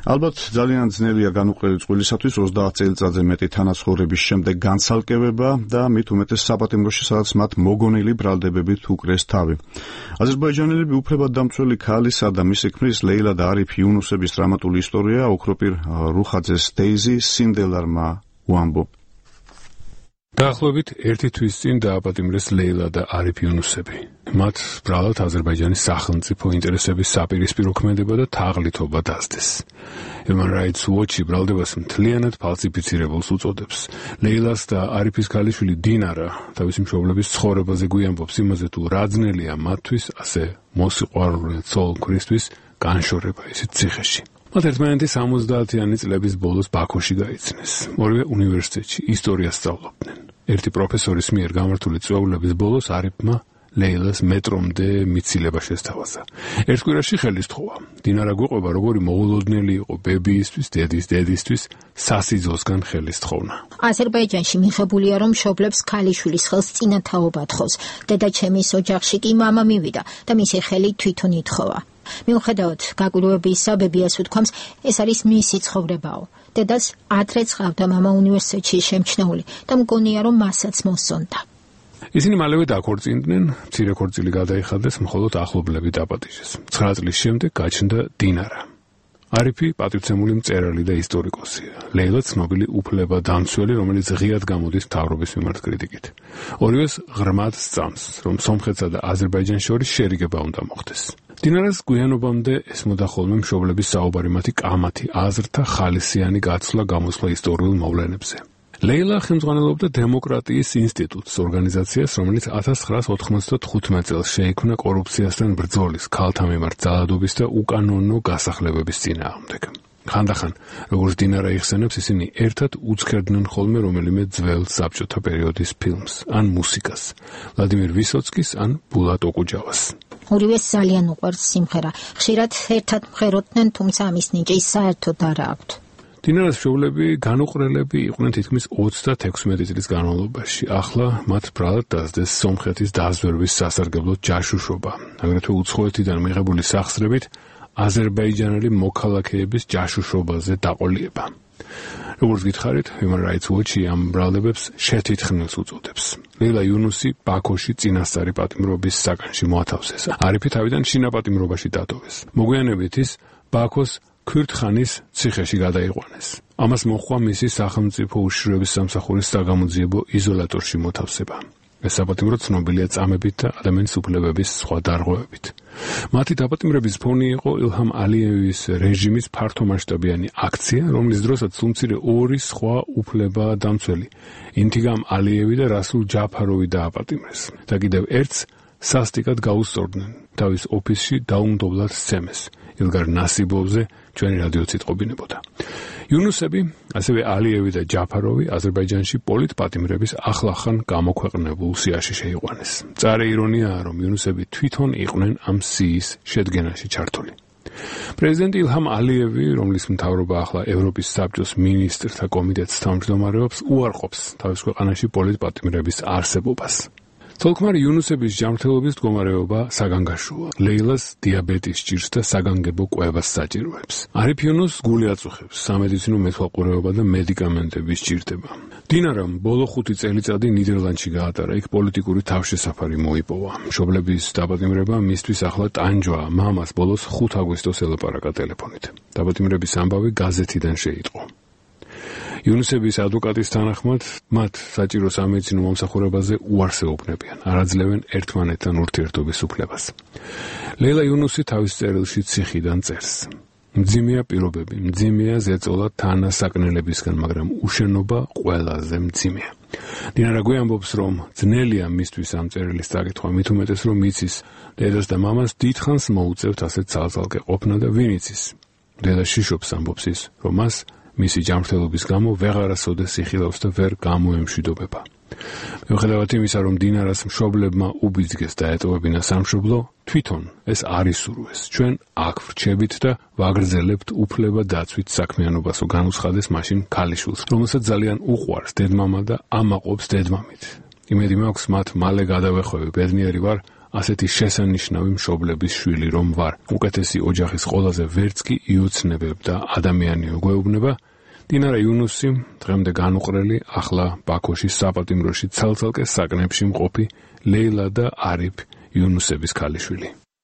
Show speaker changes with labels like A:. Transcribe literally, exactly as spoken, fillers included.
A: ალბათ ძალიან ძნელია განუყრელი წყვილისათვის ოცდაათ წელიწადზე მეტი თანაცხოვრების შემდეგ განცალკევება და მით უმეტეს საპატიმროში, სადაც მათ მოგონილი ბრალდებებით უკრეს თავი. აზერბაიჯანელები უფლებადდამცველი ქალისა და მისი ქმრის ლეილა და არიფ იუნუსების დრამატული ისტორია ოქროპირ რუხაძეს დეიზი სინდელარმა უამბობ.
B: დაახლოებით ერთი თვის წინ დააპატიმრეს ლეილა და არიფ იუნუსები. მათ ბრალად აზერბაიჯანის სახელმწიფო ინტერესების საპირისპირო ქმედება და თაღლითობა დასდეს. Human Rights Watch ბრალდებას მთლიანად ფალსიფიცირებულს უწოდებს. ლეილას და არიფის ქალიშვილი დინარა თავისი მშობლების ცხოვრებაზე გვიამბობს იმაზე, თუ რა ძნელია მათთვის, ასე მოსიყვარულე ცოლ-ქმრისთვის განშორება ისეთ ციხეში. მათ ერთმანეთი სამოცდაათიანი წლების ბოლოს ბაქოში გაიცნეს. ორივე უნივერსიტეტში ისტორიას სწავლობდნენ. ერთი პროფესორის მიერ გამართული წვეულების ბოლოს არიფმა ლეილას მეტრომდე მიცილება შესთავაზა. ერთ კვირაში ხელი სთხოვა. დინარა გვიყვება, როგორი მოულოდნელი იყო ბებიისთვის, დედის დედისთვის სასიძოსგან ხელი სთხოვნა.
C: აზერბაიჯანში მიღებულია, რომ მშობლებს ქალიშვილის ხელს წინათაობა თხოს. დედაჩემის ოჯახში კი მამა მივიდა და მისი ხელი თვითონ ითხოვა. მიუხედავად გაკვირვებისა, ბებიას უთქვამს, ეს არის მისი ცხოვრებაო. დედას ადრეც ჰყავდა მამა უნივერსიტეტში შემჩნეული და მგონია, რომ მასაც მოსონდა.
B: ისინი მალევე დაქორწინდნენ, მცირე ქორწილი გადაიხადეს, მხოლოდ ახლობლები დაპატიჟეს. ცხრა წლის შემდეგ გაჩნდა დინარა. არიფი პატივცემული მწერალი და ისტორიკოსია. ლეილა ცნობილი უფლებადამცველი, რომელიც ღიად გამოდის მთავრობის მიმართ კრიტიკით. ორივეს ღრმად სწამს, რომ სომხეთსა და აზერბაიჯანს შორის შერიგება უნდა მოხდეს. დინარას გვიანობამდე ესმოდა ხოლმე მშობლების საუბარი მათი კამათი, აზრთა ხალისიანი გაცვლა გამოსვლა ისტორიულ მოვლენებზე. ლეილა ხელმძღვანელობდა დემოკრატიის ინსტიტუტს, ორგანიზაციას, რომელიც ათას ცხრაას ოთხმოცდათხუთმეტ წელს შეიქმნა კორუფციასთან ბრძოლის, ქალთა მიმართ ძალადობის და უკანონო გასახლებების წინააღმდეგ. ხანდახან, როგორც დინარა იხსენებს, ისინი ერთად უცქერდნენ ხოლმე რომელიმე ძველ საბჭოთა პერიოდის ფილმს, ან მუსიკას, ვლადიმერ ვისოცკის, ან ბულატ ოკუჯავას.
C: ორივეს ძალიან უყვარს სიმღერა. ხშირად ერთად მღეროდნენ, თუმცა ამის ნიჭი საერთოდ არ აქვთ.
B: დინარას მშობლები განუყრელები იყვნენ თითქმის ოცდათექვსმეტი წლის განმავლობაში. ახლა მათ ბრალად დასდეს სომხეთის დაზვერვის სასარგებლო ჯაშუშობა. აგრეთვე უცხოეთიდან მიღებული სახსრებით აზერბაიჯანელი მოქალაქეების ჯაშუშობაზე დაყოლიება. როგორც გითხარით, Human Rights Watch ამ ბრალდებებს შეთითქმულს უწოდებს. ლეილა იუნუსი ბაქოში წინასწარი პატიმრობის საგანში მოათავსეს. არიფი თავიდან შინაპატიმრობაში დატოვეს. მოგვიანებით ის ბაქოს ქურთხანის ციხეში გადაიყვანეს. ამას მოჰყვა მისი სახელმწიფო უშიშროების სამსახურის საგამოძიებო იზოლატორში მოთავსება. ეს საპატიმრო ცნობილია წამებით და ადამიანის უფლებების სხვა დარღვევებით. მათი დაპატიმრების ფონი იყო ილჰამ ალიევის რეჟიმის ფართომასშტაბიანი აქცია, რომლის დროსაც სულმცირე ორი სხვა უფლებადამცველი, ინთიგამ ალიევი და რასულ ჯაფაროვი დააპატიმრეს და კიდევ ერთს სასტიკად გაუსწორდნენ თავის ოფისში დაუმდობლად სცემეს. ილგარ ნასიბოვზე ჩვენი რადიოც იტყობინებოდა. იუნუსები, ასევე ალიევი და ჯაფაროვი აზერბაიჯანში პოლიტპატიმრების ახლახან გამოქვეყნებულ სიაში შეიყვანეს. მწარე ირონიაა, რომ იუნუსები თვითონ იყვნენ ამ სიის შედგენაში ჩართული. პრეზიდენტი ილჰამ ალიევი, რომლის მთავრობა ახლა ევროპის საბჭოს მინისტრთა კომიტეტს თავმჯდომარეობს, უარყოფს თავის ქვეყანაში პოლიტპატიმრების არსებობას. ცოლ-ქმარი იუნუსების ჯანმრთელობის მდგომარეობა საგანგაშოა. ლეილას დიაბეტის ჭირს და საგანგებო კვებას საჭიროებს. არიფ იუნუსს გული აწუხებს, სამედიცინო მეთვალყურეობა და მედიკამენტები სჭირდება. დინარამ ბოლო ხუთი წელიწადი ნიდერლანდში გაატარა, იქ პოლიტიკური თავშესაფარი მოიპოვა. მშობლების დაპატიმრება მისთვის ახლა ტანჯვაა. მამას ბოლოს ხუთი აგვისტოს ელაპარაკა ტელეფონით. დაპატიმრების ამბავი გაზეთიდან შეიტყო. იუნუსების ადვოკატის თანახმად, მათ საჭირო სამედიცინო მომსახურებაზე უარს ეუბნებიან, არ აძლევენ ერთმანეთთან ურთიერთობის უფლებას. ლეილა იუნუსი თავის წერილში ციხიდან წერს. მძიმეა პირობები, მძიმეა ზეწოლა თანასაკნელებისგან, მაგრამ უშენობა ყველაზე მძიმეა. დინარა გვიამბობს, რომ ძნელია მისთვის ამ წერილის წაკითხვა, მით უმეტეს, რომ იცის, დედას და მამას დიდხანს მოუწევთ ასეთ ცალ-ცალკე ყოფნა და ვინ იცის. დედა შიშობს, ამბობს ის, რომ მას მისი ჯანმრთელობის გამო ვეღარასოდეს იხილავს და ვერ გამოემშვიდობება. მიუხედავად იმისა, რომ დინარას მშობლებმა უბიძგეს დაეტოვებინა სამშობლო, თვითონ ეს არ ისურვეს. ჩვენ აქ ვრჩებით და ვაგრძელებთ უფლება დაცვით საქმიანობასო განუცხადეს მაშინ ქალიშვილს, რომელსაც ძალიან უყვარს დედმამა და ამაყობს დედმამით. იმედი მაქვს, მათ მალე გადავეხვევი, ბედნიერი ვარ, ასეთი შესანიშნავი მშობლების შვილი რომ ვარ. უკეთესი ოჯახის ყველაზე ვერც კი იოცნებებ და ადამიანიო გვეუბნება. დინარა იუნუსი დღემდე განუყრელი, ახლა ბაქოში საპატიმროში ცალ-ცალკე საკნებში მყოფი ლეილა და არიფ იუნუსების ქალიშვილი.